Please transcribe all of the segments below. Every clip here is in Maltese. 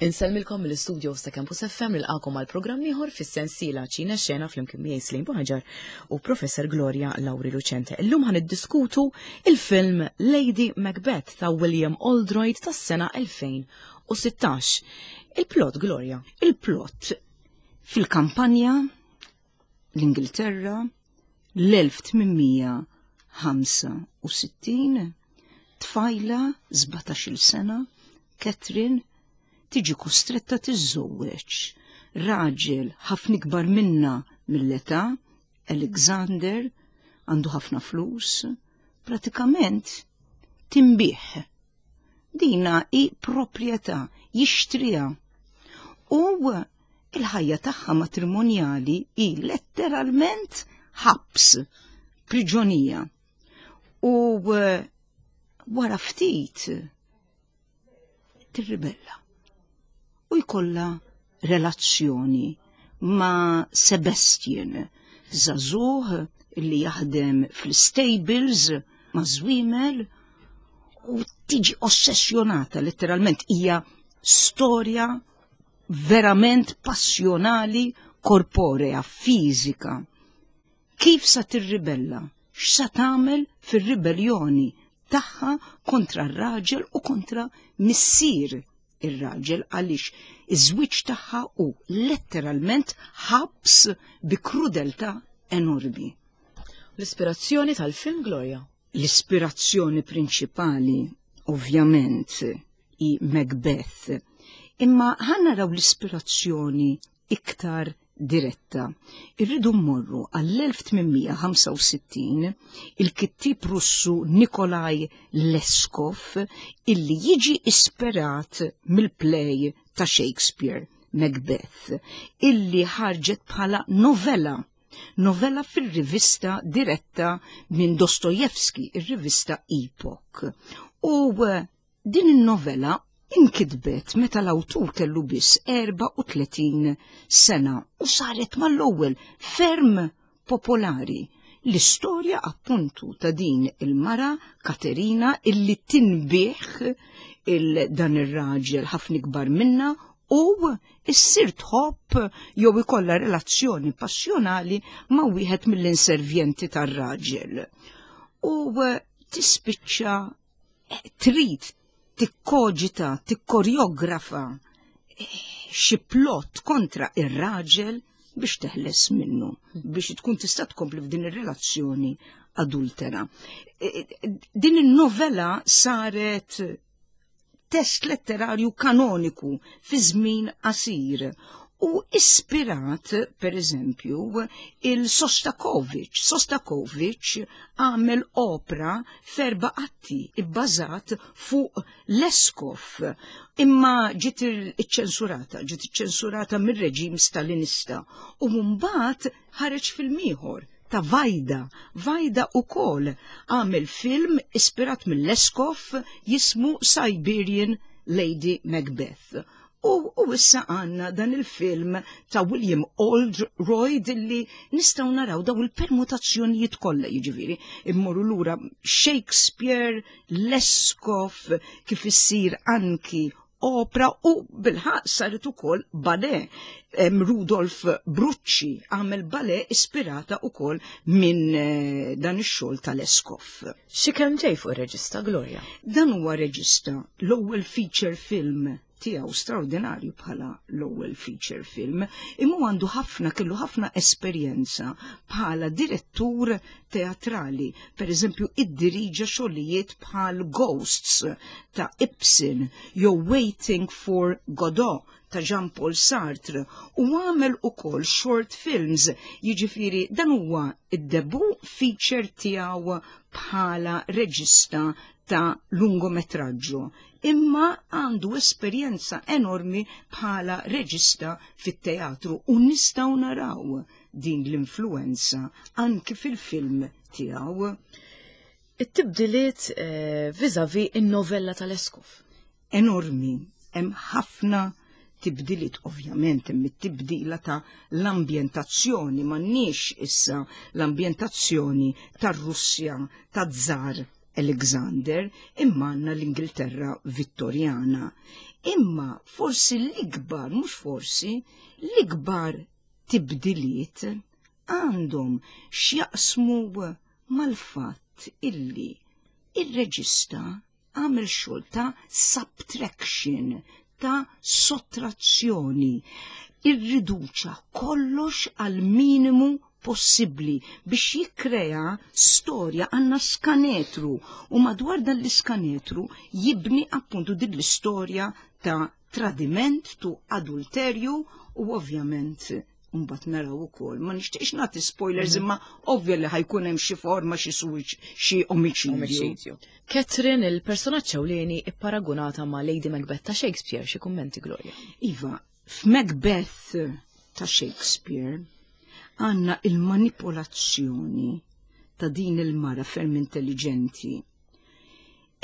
Insellmilkom mill-istudios ta' Campus FM nilqakom għal programm ieħor fis-sensiela Ċina Xena flimkien miegħi Slim Buħaġar u Professor Gloria Lauri Lucente. Illum ħan iddiskutu il-film Lady Macbeth ta' William Oldroyd tas-sena 2016. Il-plot, Gloria. Il-plot fil-kampanja l-Ingilterra l-1865 tfajla 17-il sena Catherine tiġi kostretta tiżżewweġ raġel ħafna ikbar minna mill-età, Alexander, għandu ħafna flus, pratikament tinbiegħ. Dina hi proprjetà, jixtriha. U il-ħajja tagħha matrimonjali hi letteralment ħabs, priġonija. U eh, wara ftit tirribella u jkollha relazzjoni ma' Sebastian, żagħżugħ li jaħdem fl-stables ma' żwiemel u tiġi ossessjonata letteralment hija storja verament passjonali korporea, fiżika. Kif sa tirribella? X'sa tagħmel fir-ribelljoni tagħha kontra r-raġel u kontra missier ir-raġel għaliex iż-żwieġ tagħha hu letteralment ħabs bi krudeltà enormi. L-ispirazzjoni tal-film Gloria. L-ispirazzjoni prinċipali, ovvjament, hi Macbeth. Imma ħa naraw l-ispirazzjoni iktar diretta. Irridu mmorru għall-1865 il-kittieb Russu Nikolaj Leskov illi jiġi ispirat mill-play ta' Shakespeare, Macbeth, illi ħarġet bħala novella novella fir-rivista diretta minn Dostojevski, ir-rivista Epoch. U eh, Din in-novella inkitbet meta l-awtur kellu biss 34 sena u saret mal-ewwel ferm popolari. L-istorja appuntu ta' din il-mara Katerina illi tinbiegħ il dan ir-raġel ħafna ikbar minnha u issir tħobb jew ikollha relazzjoni passjonali ma' wieħed mill-inservjenti tar-raġel. U tispiċċa trid tikkoġita, tikkorjografa eh, xi plot kontra ir-raġel biex teħles minnu, biex tkun tista' tkompli f'din ir-relazzjoni adultera. Eh, eh, din in-novella saret test letterarju kanoniku fi żmien qasir u ispirat, per eżempju, il-Sostakovich. Sostakovich għamel opra ferba atti ibbażat fuq Leskov, imma ġiet iċċensurata, ġiet iċċensurata mir-reġim Stalinista u mbagħad ħareġ film ieħor ta' Vajda. Vajda ukoll għamel film ispirat mill-Leskov jismu Siberian Lady Macbeth. U, u issa għanna dan il-film ta' William Oldroyd li nistgħu naraw daw il-permutazzjonijiet kollha jiġifieri immorru lura Shakespeare, Leskov, kif issir anki opra u bilħaq saret ukoll ballet. Rudolf Brucci għamel ballet ispirata ukoll minn eh, dan ix-xogħol tal-Eskov. Xi kemm ġej fuq ir-reġista Gloria? Dan huwa reġista l-ewwel feature film tiegħu straordinarju bħala l-ewwel feature film, imma għandu ħafna kellu ħafna esperjenza bħala direttur teatrali. Per eżempju, iddiriġa xogħlijiet bħal Ghosts ta' Ibsen jew Waiting for Godot ta' Jean-Paul Sartre u għamel ukoll short films, jiġifieri dan huwa id-debut feature tiegħu bħala reġista ta' lungometraġġu imma għandu esperjenza enormi bħala reġista fit-teatru u nistgħu naraw din l-influenza anki fil-film tiegħu. It-tibdiliet eh, viżavi in-novella tal-Eskov. Enormi, hemm ħafna tibdiliet ovvjament hemm it-tibdila ta' l-ambjentazzjoni m'għandniex issa l-ambjentazzjoni tar-Russja taż-Żar Alexander imma għandna l-Ingilterra Vittorjana. Imma forsi l-ikbar, mhux forsi, l-ikbar tibdiliet għandhom x'jaqsmu mal-fatt illi ir-reġista għamel xogħol ta' subtraction, ta' sottrazzjoni, irriduċa kollox għal minimu possibbli biex jikkrea storja. Għandna skanetru u madwar dan l-iskanetru jibni appuntu din l-istorja ta' tradiment, tu adulterju u ovvjament mbagħad naraw ukoll. Ma nixtieqx nagħti spoilers, imma ovvja li ħa jkun hemm xi forma, xi suwiċ, xi omiċidju. Catherine, il-personaġġ ewlieni, ipparagunata ma' Lady Macbeth ta' Shakespeare, xi kummenti, Gloria? Iva, f'Macbeth ta' Shakespeare għandna il-manipolazzjoni ta' din il-mara ferm intelligenti.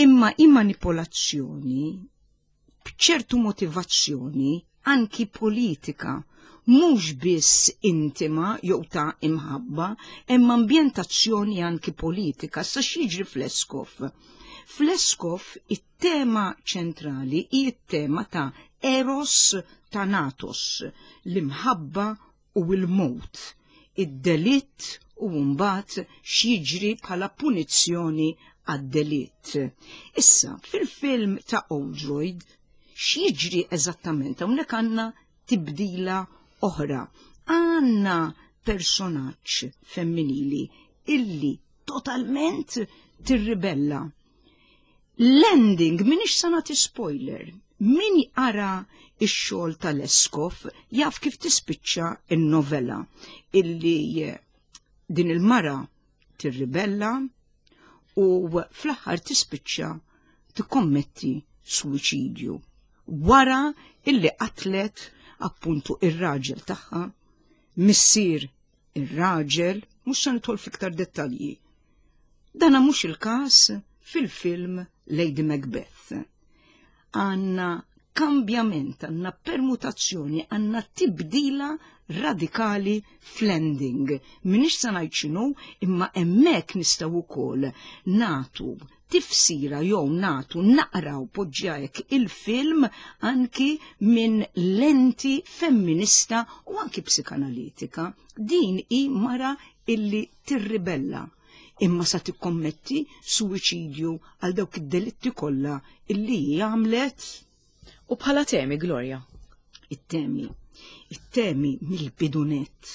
Imma i-manipolazzjoni b'ċertu motivazzjoni anki politika, mhux biss intima jew ta' imħabba, imma ambjentazzjoni anki politika. Sa x'jiġri f'Leskov? F'Leskov it-tema ċentrali hi t-tema ta' Eros Thanatos, l-imħabba u l-mewt, id-delitt u mbagħad x'jiġri bħala punizzjoni għad-delitt. Issa, fil-film ta' Oldroyd, x'jiġri eżattament? Hawnhekk għandna tibdila oħra. Għandna personaġġ femminili illi totalment tirribella. L-ending, minix sa nagħti spoiler, min jara ix-xogħol tal-Leskov jaf kif tispiċċa in-novella, illi din il-mara tirribella u fl-aħħar tispiċċa tikkommetti suwiċidju wara illi qatlet appuntu ir-raġel tagħha, missier ir-raġel, mhux se nidħol fiktar dettalji. Dana mhux il-każ fil-film Lady Macbeth. Għandna kambjament, għandna permutazzjoni, għandna tibdila radikali fl-ending. Minix sa ngħid x'inhu, imma hemmhekk nistgħu wkoll nagħtu tifsira jew nagħtu naqraw poġġjajk il-film anki minn lenti femminista u anki psikanalitika. Din hi mara illi tirribella imma sa tikkommetti suwiċidju għal dawk id-delitti kollha illi hi għamlet. U bħala temi, Gloria? It-temi. It-temi mill-bidunett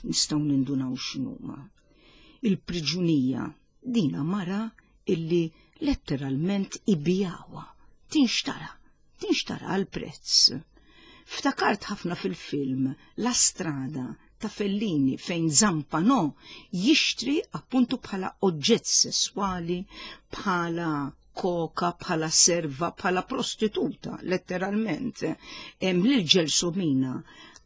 nistgħu nindunaw x'inhuma. Il-priġunija, dina mara illi letteralment ibijawha, tinxtara, tinxtara għal prezz. Ftakart ħafna fil-film La Strada ta' Fellini fejn Zampano jixtri appuntu bħala oġġett sesswali, bħala koka, bħala serva, bħala prostituta, letteralment, lil Ġelsomina.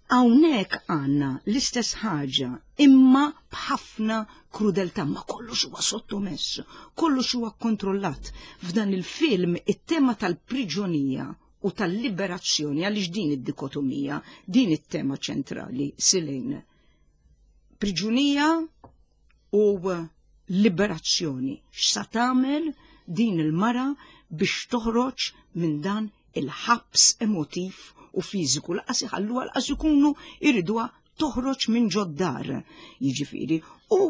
Hawnhekk għandna l-istess ħaġa, imma b'ħafna krudeltà, ma kollox huwa sottomess, kollox huwa kontrollat. F'dan il-film it-tema tal-priġonija u tal-liberazzjoni, għaliex din id-dikotomija, din it-tema ċentrali, Silejn. Priġunija u liberazzjoni. X'sa tagħmel din il-mara biex toħroġ minn dan il-ħabs emotiv u fiżiku? Laqas iħalluha, laqas ikunu jriduha toħroġ minn ġod-dar. Jiġifieri, u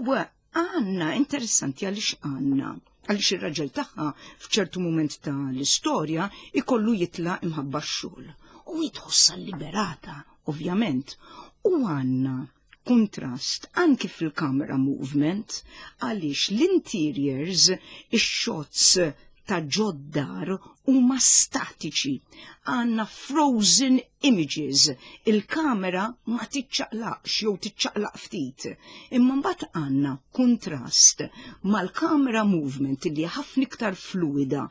għandna interessanti għaliex għandna għaliex ir-raġel tagħha f'ċertu mument ta' l-istorja ikollu jitla' imħabba x-xogħol. U jitħossha liberata, ovvjament. U għandna kontrast anki fil-camera movement għaliex l-interiors, ix-shots ta' ġod-dar huma statiċi. Għandna frozen images, il-kamera ma tiċċaqlaqx jew tiċċaqlaq ftit. Imma mbagħad għandna kontrast mal-camera movement li ħafna iktar fluida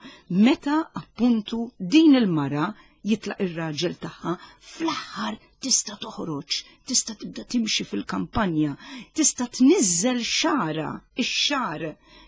meta appuntu din il-mara jitlaq ir-raġel tagħha, fl-aħħar tista' toħroġ, tista' tibda timxi fil-kampanja, tista' tniżżel xara, ix-xar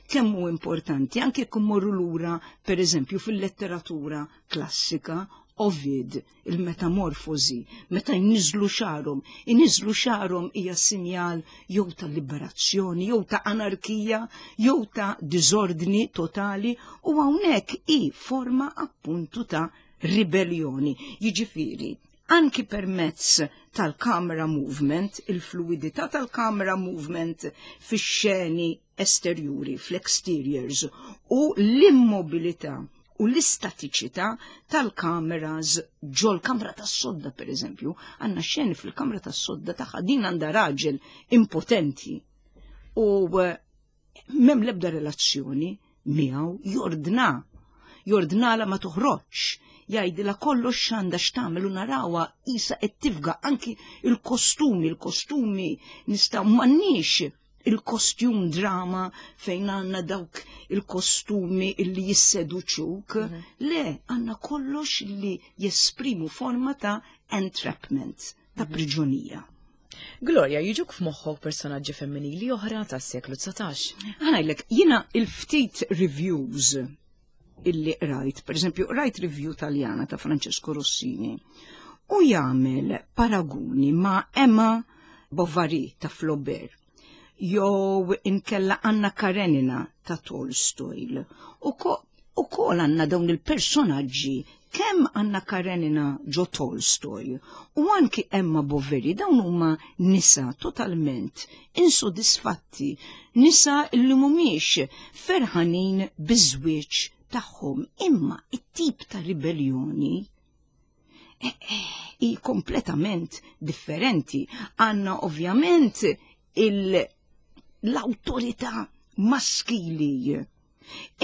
kemm hu importanti, anke jekk immorru lura pereżempju fil-letteratura klassika, Ovid, il-metamorfosi, meta jniżlu xarhom, iniżlu xarhom hija sinjal jew ta' liberazzjoni, jew ta' anarkija, jew ta' diżordni totali, u hawnhekk hi forma appuntu ta' ribellioni. Jiġifieri, anki permezz tal-camera movement, il-fluidità tal-camera movement fix-xeni esterjuri, fl-exteriors, u l-immobilità u l-istatiċità tal-kameras ġol-kamra tas-sodda, per eżempju, għandna xeni fil-kamra tas-sodda tagħha din għandha raġel impotenti u m'hemm l-ebda relazzjoni miegħu, jordna, jordnala ma toħroġx, jgħidilha kollox x'għandha x'tagħmel u narawha qisha qed tifga anki il-kostumi, il-kostumi nistgħu m'għandniex il-kostjum drama fejn għandna dawk il-kostumi illi jisseduċuk. Le, għandna kollox li jesprimu forma ta' entrapment, ta' priġunija. Gloria, jiġuk f'moħħok personaġġi femminili oħra tas-seklu 19? Ħa ngħidlek, jiena il-ftit reviews illi qrajt, per eżempju, qrajt review Taljana ta' Francesco Rossini, u jagħmel paraguni ma' Emma Bovary ta' Flaubert, jew inkella Anna Karenina ta' Tolstoy. U kol għandna dawn il-personaġġi, kemm Anna Karenina ġo Tolstoy u anki Emma Bovary, dawn huma nisa totalment insodisfatti, nisa li mhumiex ferħanin biż-żwieġ tagħhom, imma it-tip ta' ribellioni hi kompletament differenti. Għandna ovvjament l-awtorità maskili.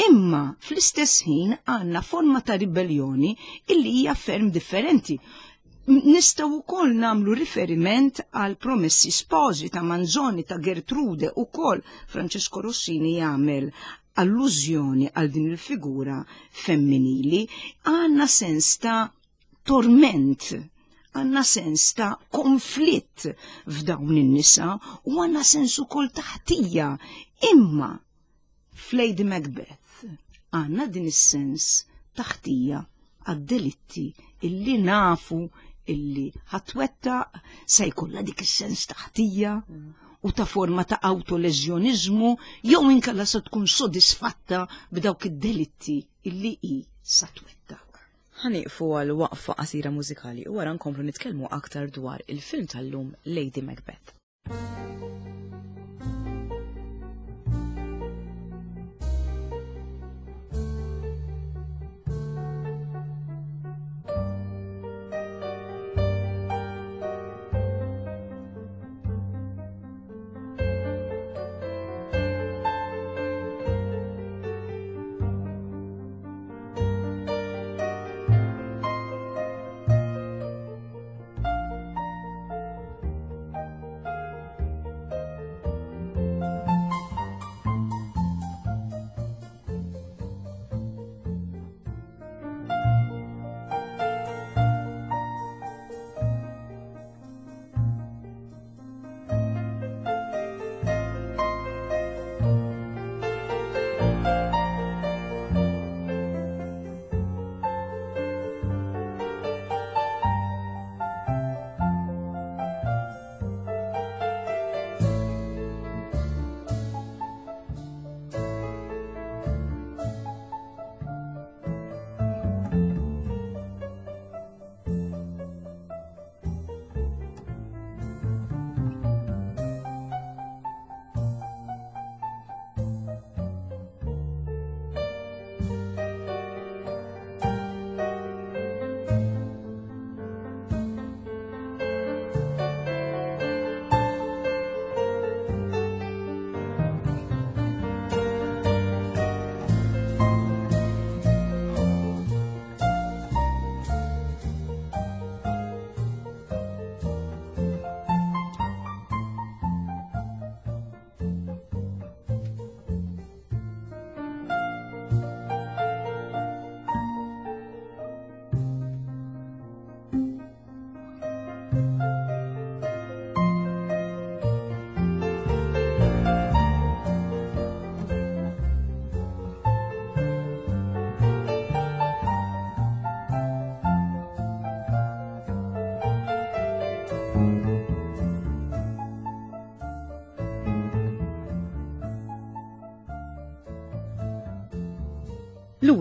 Imma fl-istess ħin għandna forma ta' ribellioni illi hija ferm differenti. Nistgħu wkoll nagħmlu riferiment għal Promessi Sposi ta' Manzoni, ta' Gertrude, ukoll Francesco Rossini jagħmel allużjoni għal din il-figura femminili. Għandna sens ta' torment, għandna sens ta' konflitt f'dawn in-nisa u għandna sens ukoll ta' ħtija. Imma f'Lady Macbeth għandna din is-sens ta' ħtija għad-delitti illi nafu illi ħatwettaq, se jkollha dik is-sens ta' ħtija u ta' forma ta' autoleżjoniżmu, jew inkella se tkun sodisfatta b'dawk id-delitti illi hi sa twettaq. Ħa nieqfu għal waqfa qasira mużikali u wara nkomplu nitkellmu aktar dwar il-film tal-lum Lady Macbeth.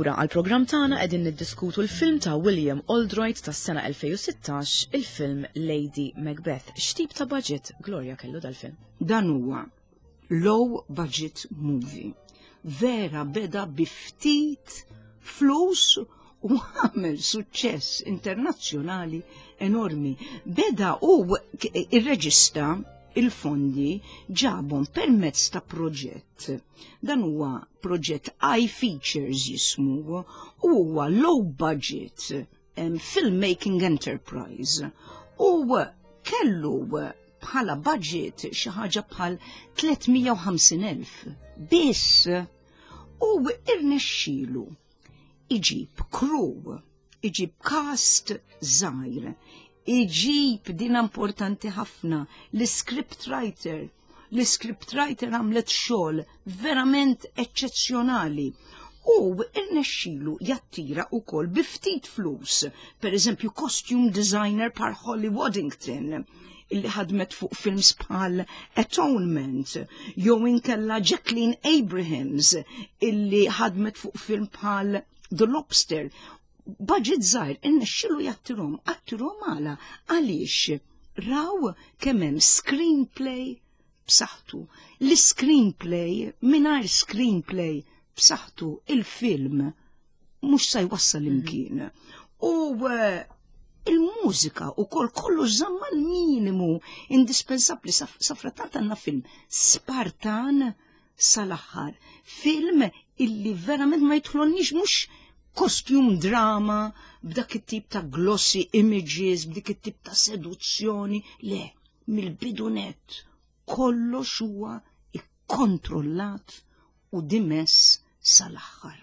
Lura għall-programm tagħna qegħdin niddiskutu l-film ta' William Oldroyd tas-sena 2016, il-film Lady Macbeth. X'tip ta' budget Gloria kellu dal-film? Dan huwa low budget movie. Vera beda bi ftit flus u għamel suċċess internazzjonali enormi. Beda u ir-reġista il-fondi ġabhom permezz ta' proġett. Dan huwa proġett iFeatures jismu u huwa low budget um, filmmaking enterprise u kellu bħala budget xi ħaġa bħal 350,000 biss u irnexxielu iġib crew, iġib cast żgħir, iġib din importanti ħafna l-script writer. L-script writer għamlet xogħol verament eċċezzjonali u irnexxilu jattira wkoll bi ftit flus, per eżempju costume designer par Holly Waddington illi ħadmet fuq films bħal Atonement, jew inkella Jacqueline Abrahams illi ħadmet fuq film bħal The Lobster. Budget żgħir innexxilu jattirhom, attirhom għala għaliex raw kemm hemm screenplay b'saħħtu. L-screenplay mingħajr screenplay b'saħħtu il-film mhux sa jwassal mhm. imkien. U eh, il-mużika u kol kollu żamma l-minimu indispensabli safratant għandna film Spartan sal-aħħar. Film illi verament ma jidħlonniex mhux kostjum drama b'dak it-tip ta' glossy images, b'dik it-tip ta' seduzzjoni, le, mill-bidunet kollox huwa ikkontrollat u dimess sal-aħħar.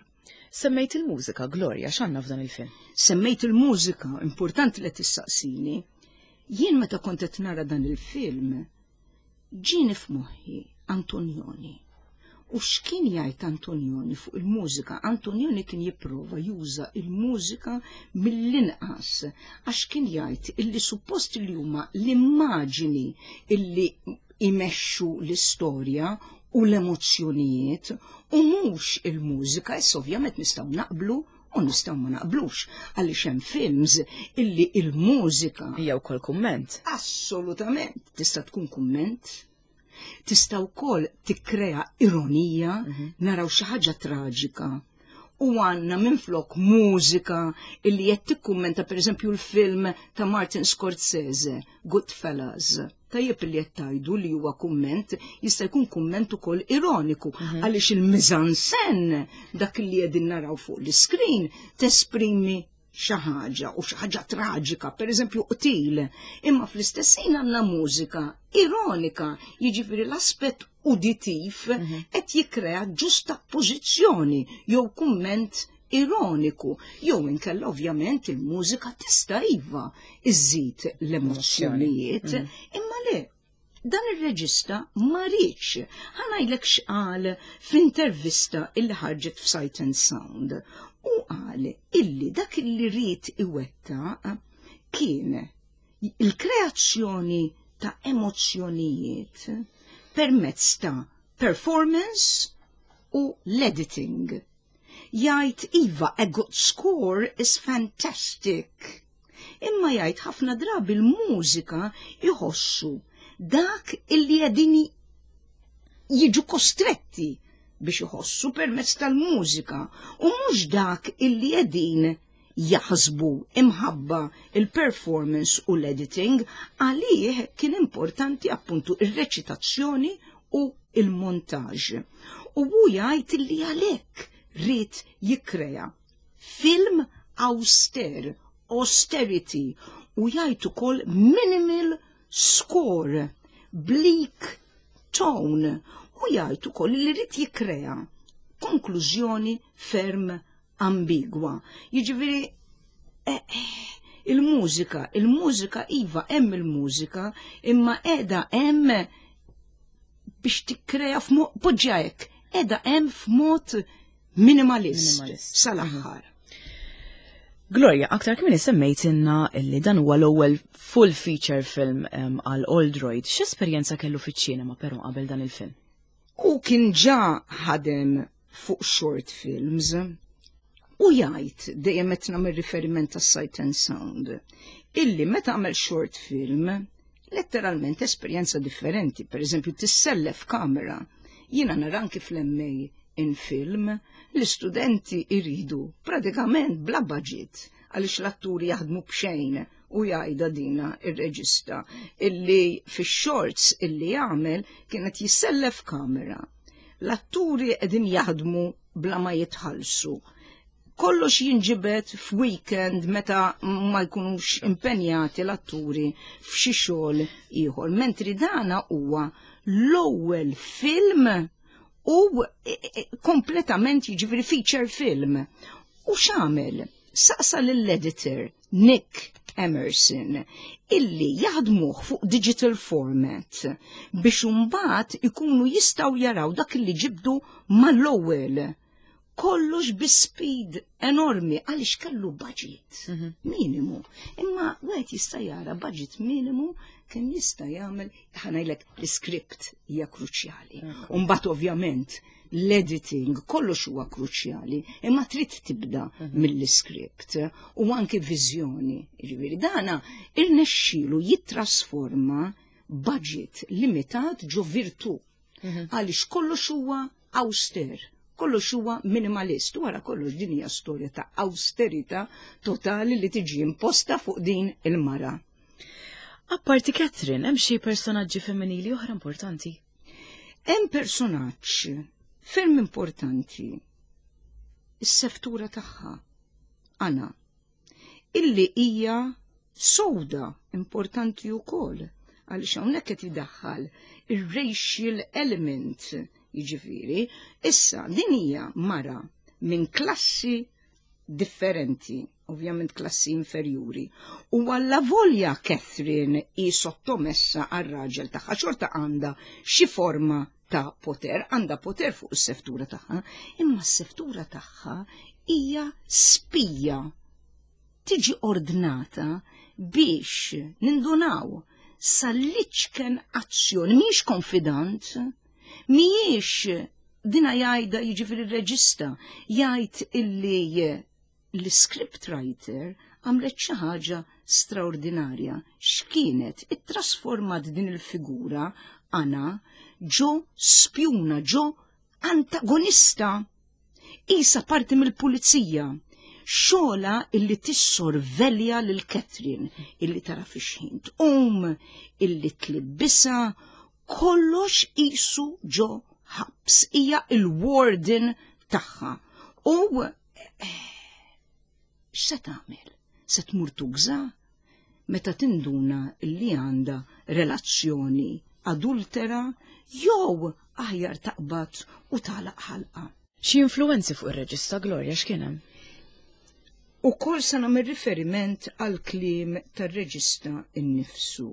Semmejt il-mużika, Gloria, x'għandna f'dan il-film? Semmejt il-mużika, importanti li tissaqsini. Jien meta kont qed nara dan il-film, ġieni f'moħħi Antonioni. U x'kien jgħid Antonioni fuq il-mużika? Antonioni kien jipprova juża il-mużika mill-inqas għax kien jgħid illi suppost li huma l-immaġini illi imexxu l-istorja u l-emozzjonijiet u mhux il-mużika, issa ovvjament nistgħu naqblu u nistgħu ma naqblux għaliex hemm films illi il-mużika hija wkoll kumment. Assolutament, tista' tkun kumment, tista' wkoll tikkrea ironija, mhm. naraw xi ħaġa traġika u għanna minflok mużika illi qed tikkummenta pereżempju l-film ta' Martin Scorsese, Goodfellas. Tajjeb li qed tgħidu li huwa kumment, jista' jkun kumment ukoll ironiku mhm. għaliex il-mizansen dak li qegħdin naraw fuq l-iskrin tesprimi xi ħaġa u xi ħaġa traġika, pereżempju qtil, imma fl-istess ħin għandna mużika ironika, jiġifieri l-aspett uditiv mhm. qed jikkrea ġusta pożizzjoni jew kumment ironiku, jew inkella ovvjament il-mużika tista' iva iżżid l-emozzjonijiet, mm. imma le dan ir-reġista ma riedx. Ħa ngħidlek x'qal f'intervista illi ħarġet f'Sight and Sound. U qal illi dak illi ried iwettaq kien il-kreazzjoni ta' emozzjonijiet permezz ta' performance u l-editing. Jgħid iva, a good score is fantastic. Imma jgħid ħafna drabi l-mużika jħossu dak illi qegħdin jiġu kostretti biex iħossu permezz tal-mużika u mhux dak illi qegħdin jaħsbu imħabba il-performance u l-editing għalih kien importanti appuntu ir-reċitazzjoni u il-montaġ. U hu jgħid li għalhekk ried jikkrea film auster, austerity, u jgħid ukoll minimal score, bleak tone, u jgħid ukoll li ried jikkrea konklużjoni ferm ambigwa. Jiġifieri eh, il-mużika, il-mużika iva hemm il-mużika, imma qiegħda hemm biex tikkrea f'mod poġġa hekk, qiegħda hemm f'mod minimalist, minimalist. sal-aħħar. Gloria, aktar kmini semmejt inna illi dan huwa l-ewwel full feature film għal Oldroyd. X'esperjenza kellu fiċ-ċinema però qabel dan il-film? Hu kien ġa ħadem fuq short films. U jgħid dejjem qed nagħmel riferiment tas-Sight and Sound, illi meta għamel short film, letteralment esperjenza differenti, per eżempju tissellef kamera. Jiena nara anki fl-MA in film, l-istudenti iridu pratikament bla budget għaliex l-atturi jaħdmu b'xejn u jgħidha dina ir-reġista illi fix-shorts illi jagħmel kienet jissellef kamera. L-atturi qegħdin jaħdmu bla ma jitħallsu. Kollox jinġibed f'weekend meta ma jkunux impenjati l-atturi f'xi xogħol ieħor. Mentri dana huwa l-ewwel film u kompletament jiġifieri feature film. U x'għamel? Saqsa lill-editor Nick Emerson illi jaħdmuh fuq digital format biex imbagħad ikunu jistgħu jaraw dak li ġibdu mal-ewwel. Kollox bi speed enormi għaliex kellu budget minimu. Imma wieħed jista' jara budget minimu kemm jista' jagħmel ħa ngħidlek l-script hija kruċjali. Mbagħad ovvjament l-editing kollox huwa kruċjali, imma trid tibda mill-script u anki viżjoni. Jiġifieri dana irnexxielu jittrasforma budget limitat ġo virtu. Għaliex kollox huwa auster, kollox huwa minimalist. Wara kollox din hija storja ta' austerità totali li tiġi imposta fuq din il-mara. Apparti Catherine, hemm xi personaġġi femminili oħra importanti? Hemm personaġġ ferm importanti, is-seftura tagħha, Anna, illi hija sowda importanti wkoll għaliex hawnhekk qed idaħħal ir-racial element, jiġifieri, issa din hija mara minn klassi differenti, ovvjament klassi inferjuri. U għalla volja Catherine hi sottomessa għar-raġel tagħha xorta għandha xi forma ta' poter, għandha poter fuq is-seftura tagħha, imma s-seftura tagħha hija spija. Tiġi ordnata biex nindunaw sal-liċken azzjoni, mhijiex konfidant, mhijiex dina jgħidha jiġifieri r-reġista jgħid illi l-script writer għamlet xi ħaġa straordinarja. X'kienet? Ittrasformat din il-figura Anna ġo spjuna, ġo antagonista. Isa parti mill-pulizija. Xogħolha illi tissorvelja lil Catherine, illi tara fi xħin tqum, illi tlibbisha, kollox isu ġo ħabs, hija il-warden tagħha. U x'se tagħmel? Se tmur tugża? Meta tinduna li għandha relazzjoni adultera jew aħjar taqbad u tagħlaq ħalqa. Xi influenzi fuq ir-reġista Gloria x'kien hemm? U kol se nagħmel riferiment għal kliem tar-reġista innifsu.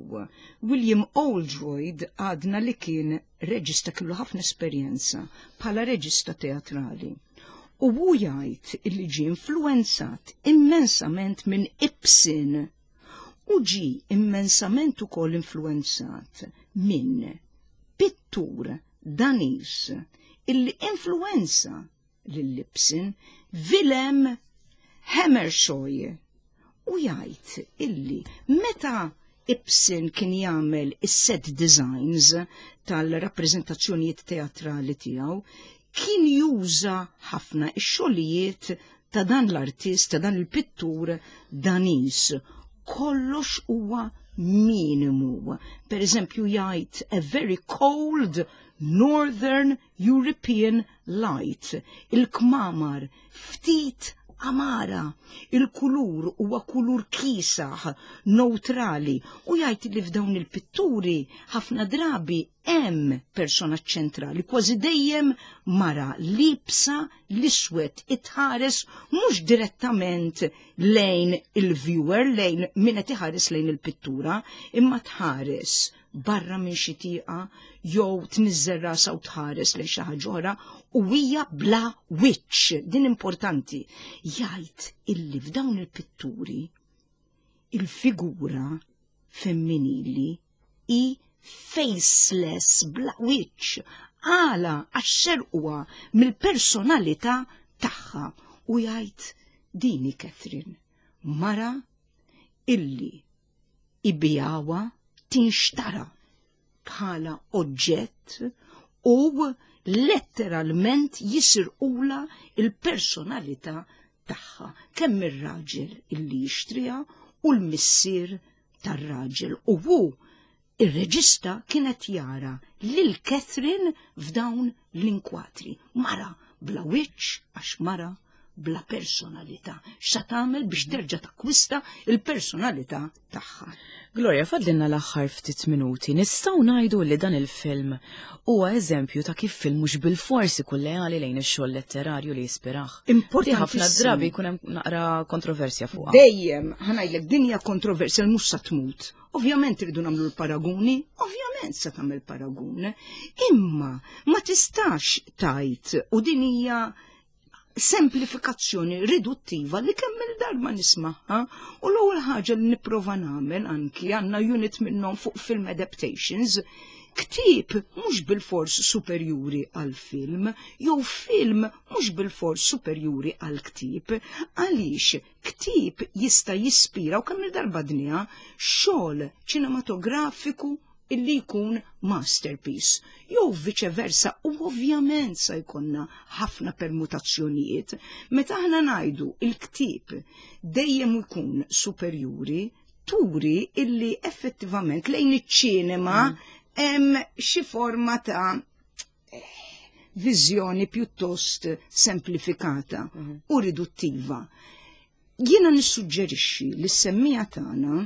William Oldroyd għadna li kien reġista kellu ħafna esperjenza bħala reġista teatrali. U hu jgħid illi ġie influenzat immensament minn Ibsen u ġie immensament ukoll influenzat minn pittur Daniż illi influenza lil Ibsen, Vilhelm Hammershøi. U jgħid illi meta Ibsen kien jagħmel is-set designs tal-rappreżentazzjonijiet teatrali tiegħu, kien juża ħafna ix-xogħlijiet ta' dan l-artist, ta' dan il-pittur Daniż. Kollox huwa minimu. Per eżempju jgħid a very cold Northern European light. Il-kmamar ftit amara, il-kulur huwa kulur kisaħ, neutrali, u jgħid li f'dawn il-pitturi ħafna drabi hemm persona ċentrali, kważi dejjem mara libsa l-iswed itħares mhux direttament lejn il-viewer, lejn min qed iħares lejn il-pittura, imma tħares barra minn xi tieqa jew tniżżel rasha u tħares lejn xi ħaġa oħra u hija bla wiċċ. Din importanti. Jgħid illi f'dawn il-pitturi il-figura femminili i faceless, bla wiċċ. Għala għax serquha mill-personalità tagħha. U jgħid dini Catherine, mara illi ibijawha tinxtara bħala oġġett u letteralment jisirqula il-personalità tagħha kemm ir-raġel illi jixtriha u l-missier tar-raġel u hu ir-reġista kienet jara lil Catherine f'dawn l-inkwatri. Mara bla wiċċ għax mara bla personalità. X'sa tagħmel biex terġa' takkwista il-personalità tagħha. Gloria, fadlinna l-aħħar ftit minuti. Nistgħu ngħidu li dan il-film huwa eżempju ta' kif film mhux bilfors ikun leali lejn ix-xogħol letterarju li jispirah. Importanti ħafna drabi jkun hemm naqra kontroversja fuqha. Dejjem, ħa ngħidlek din hija kontroversja li mhux sa tmut. Ovvjament irridu nagħmlu l-paraguni, ovvjament sa tagħmel paragun. Imma ma tistax tajt u din hija semplifikazzjoni riduttiva li kemm il-darba nismaħħa u l-ewwel ħaġa li nipprova nagħmel anki għandna unit minnhom fuq film adaptations ktieb mhux bilfors superjuri għal film jew film mhux bilfors superjuri għal ktieb għaliex ktieb jista' jispira u kemm il-darba dnija xogħol ċinematografiku illi jkun masterpiece, jew vice versa, u ovvjament sa jkollna ħafna permutazzjonijiet. Meta aħna ngħidu il-ktieb dejjem ikun superjuri, turi illi effettivament lejn iċ-ċinema hemm xi forma ta' viżjoni pjuttost semplifikata u riduttiva. Jiena nissuġġerixxi li s-semmija tagħna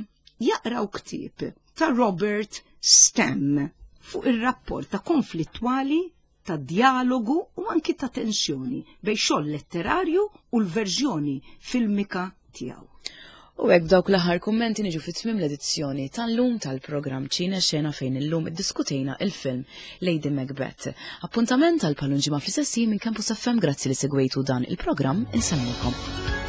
jaqraw ktieb ta' Robert Stam fuq ir-rapport ta' konflittwali ta' djalogu u anki ta' tensjoni bejn xogħol letterarju u l-verżjoni filmika tiegħu. U hekk b'dawk l-aħħar kummenti niġu fi tmiem l-edizzjoni tal-lum tal-programm Ċine Xena fejn illum iddiskutejna il-film Lady Macbeth. Appuntament għal palun ġimgħa fl-istess minn Campus FM grazzi li segwejtu dan il-programm insellmilkom.